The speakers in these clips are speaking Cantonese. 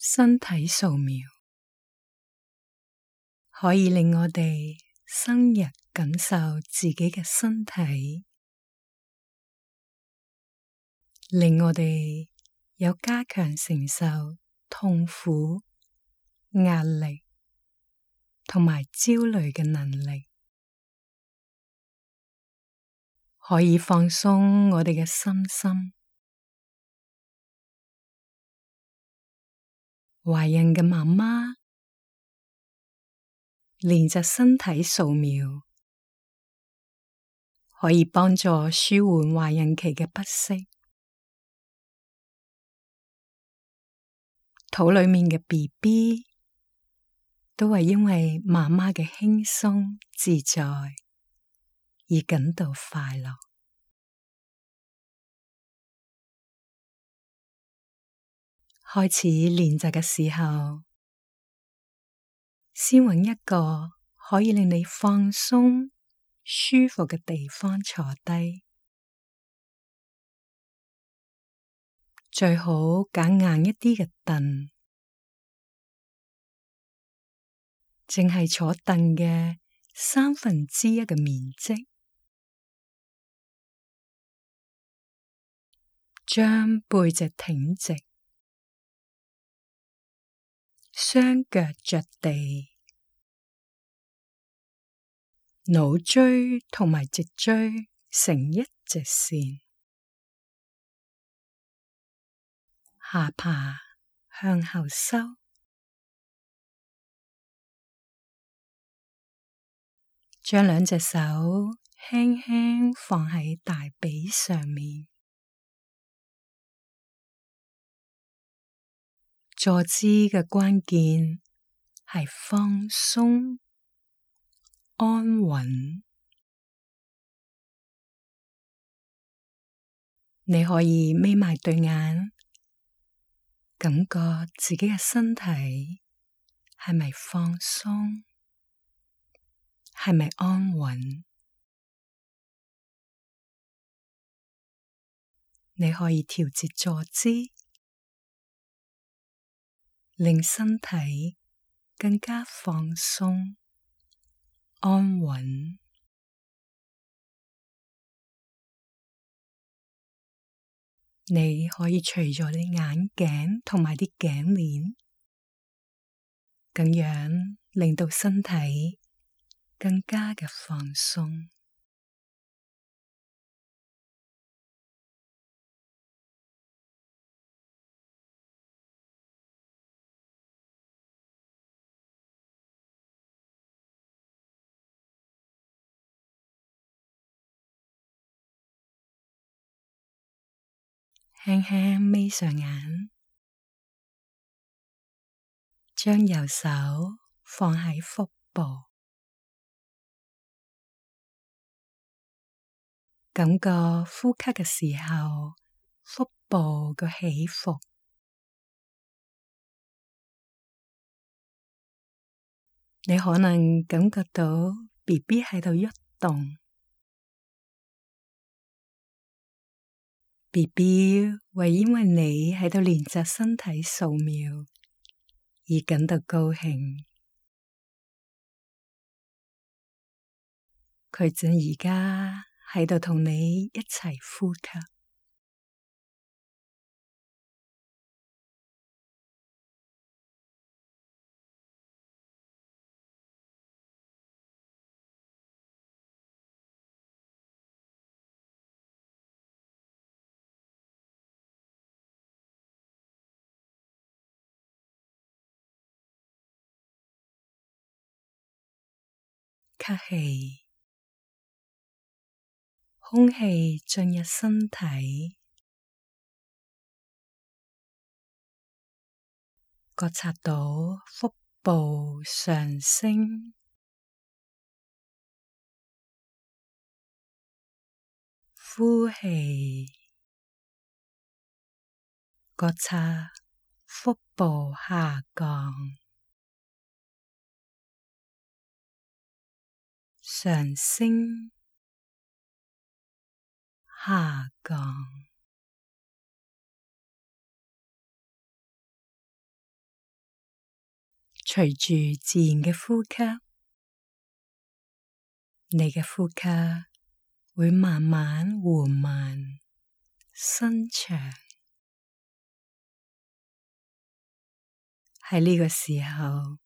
身體掃描可以令我哋深入感受自己嘅身體，令我哋有加強承受痛苦、壓力同埋焦慮嘅能力，可以放鬆我哋嘅身心。懷孕嘅媽媽練習身體掃描，可以幫助舒緩懷孕期嘅不適。肚裏面嘅 BB 都係因為媽媽嘅輕鬆自在而感到快樂。開始練習嘅時候，先揾一個可以令你放鬆、舒服嘅地方坐低，最好揀硬一啲嘅凳，淨係坐凳嘅1/3嘅面積，將背脊挺直，雙腳着地，腦椎同埋脊椎成一直線，下巴向後收，將兩隻手輕輕放喺大髀上面。坐姿嘅關鍵係放鬆、安穩。你可以眯埋對眼，感覺自己嘅身體係咪放鬆，係咪安穩？你可以調節坐姿，令身體更加放鬆、安穩。你可以除咗啲眼鏡同埋啲頸鏈，咁樣令到身體更加嘅放鬆。輕輕眯上眼，將右手放喺腹部，感覺呼吸嘅時候，腹部嘅起伏。你可能感覺到 BB 喺度喐動。BB 會因為你喺度練習身體掃描而感到高興，佢正而家喺度同你一齊呼吸。吸氣，空氣進入身體，覺察到腹部上升。呼氣，覺察腹部下降。上升，下降。隨住自然嘅呼吸，你嘅呼吸會慢慢緩慢伸長。喺呢個時候，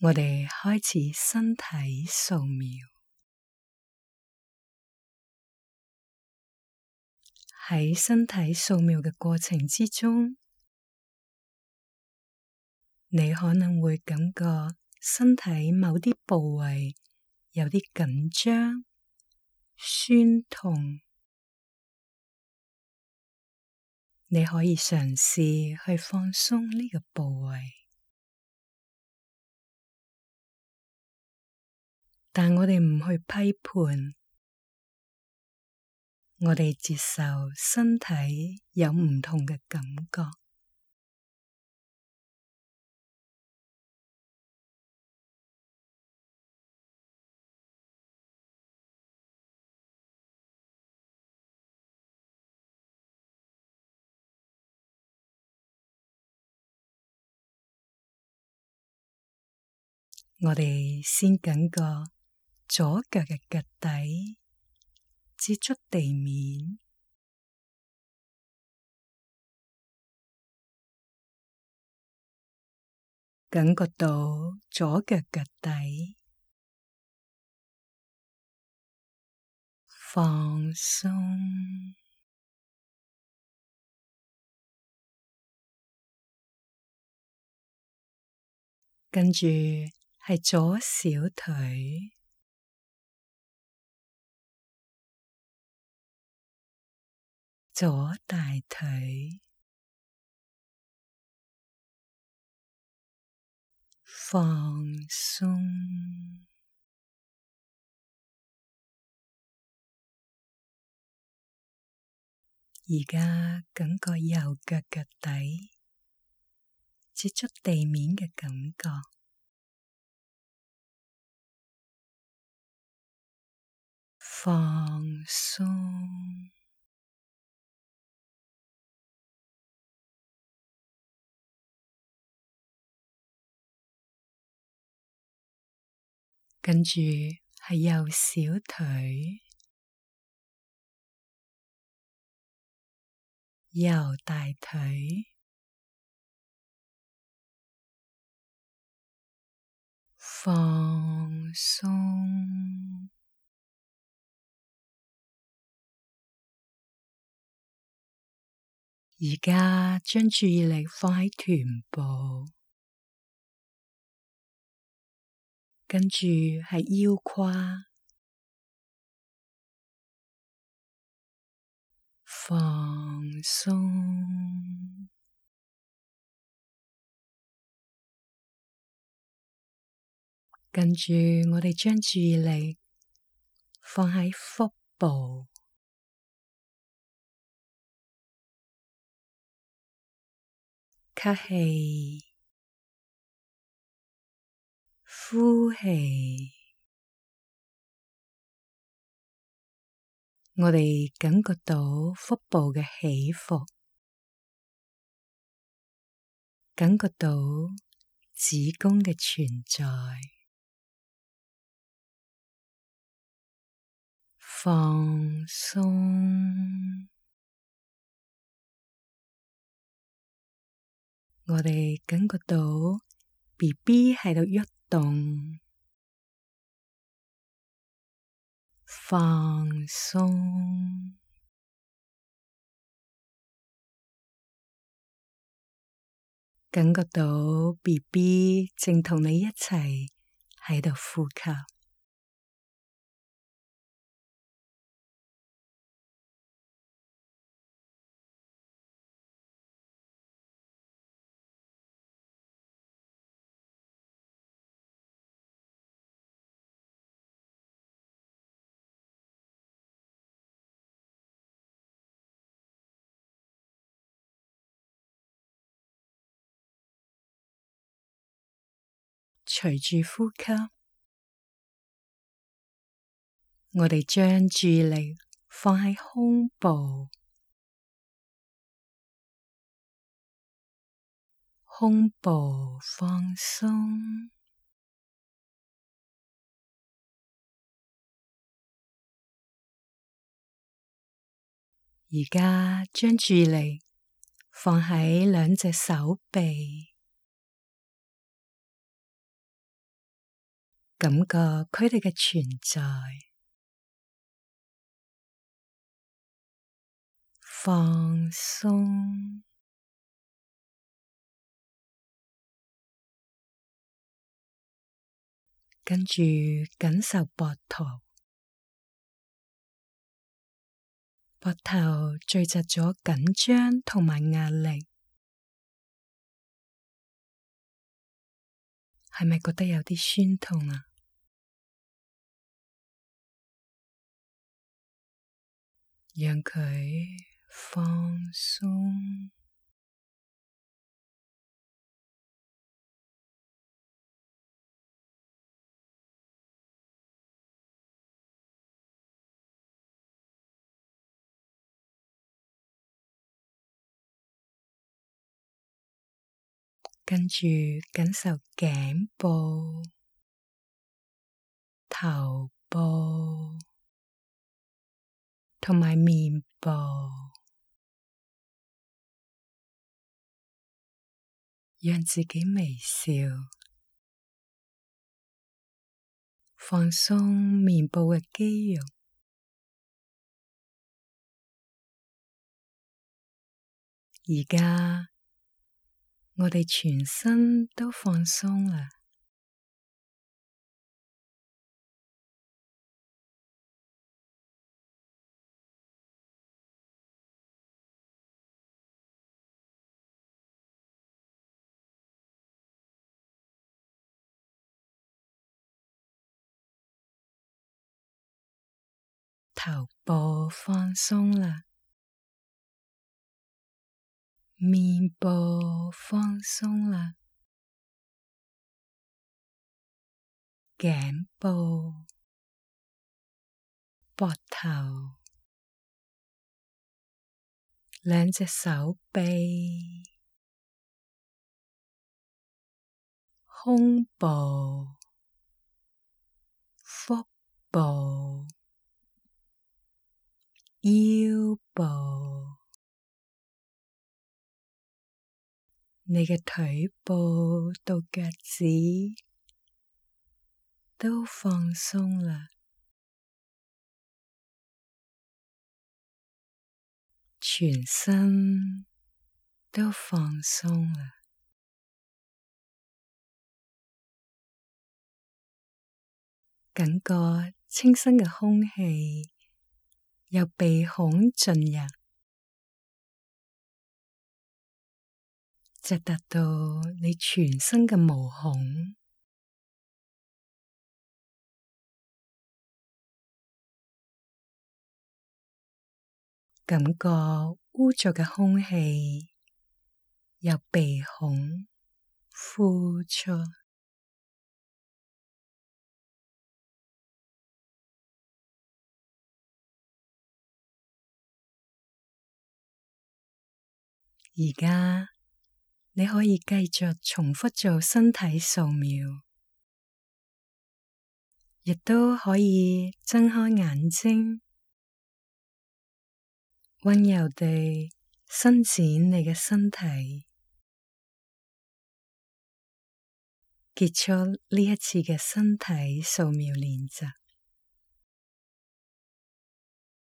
我哋開始身體掃描。喺身體掃描嘅過程之中，你可能會感覺身體某啲部位有啲緊張、酸痛。你可以嘗試去放鬆呢個部位，但我哋唔去批判，我哋接受身體有唔同嘅感覺。我哋先感覺左腳嘅腳底接觸地面，感覺到左腳腳底放鬆，跟住係左小腿、左大腿，放鬆。而家感覺右腳腳底接觸地面嘅感覺，放鬆。跟住係右小腿、右大腿，放鬆。而家將注意力放喺臀部，跟住係腰胯，放鬆。跟住我哋將注意力放喺腹部，吸氣，呼氣。我哋感覺到腹部嘅起伏，感覺到子宮嘅存在，放鬆。我哋感覺到 BB 喺度喐動，放鬆。感覺到 BB 正同你一齊喺度呼吸。隨住呼吸，我哋將注意力放喺胸部，胸部放鬆。而家將注意力放喺兩隻手臂，感覺佢哋嘅存在，放鬆。跟住感受膊頭，膊頭聚集咗緊張同埋壓力，係咪覺得有啲酸痛啊？讓佢放鬆。跟住感受頸部、頭部同埋面部，讓自己微笑，放鬆面部嘅肌肉。而家我哋全身都放鬆啦，頭部放鬆啦，面部放鬆啦，頸部、膊頭、兩隻手臂、胸部、腹部、腰部，你嘅腿部到腳趾都放鬆啦，全身都放鬆啦，感覺清新嘅空氣由鼻孔進入，直達到你全身嘅毛孔，感覺污濁嘅空氣由鼻孔呼出。而家你可以繼續重複做身體掃描，亦都可以睜開眼睛，溫柔地伸展你嘅身體，結束呢一次嘅身體掃描練習。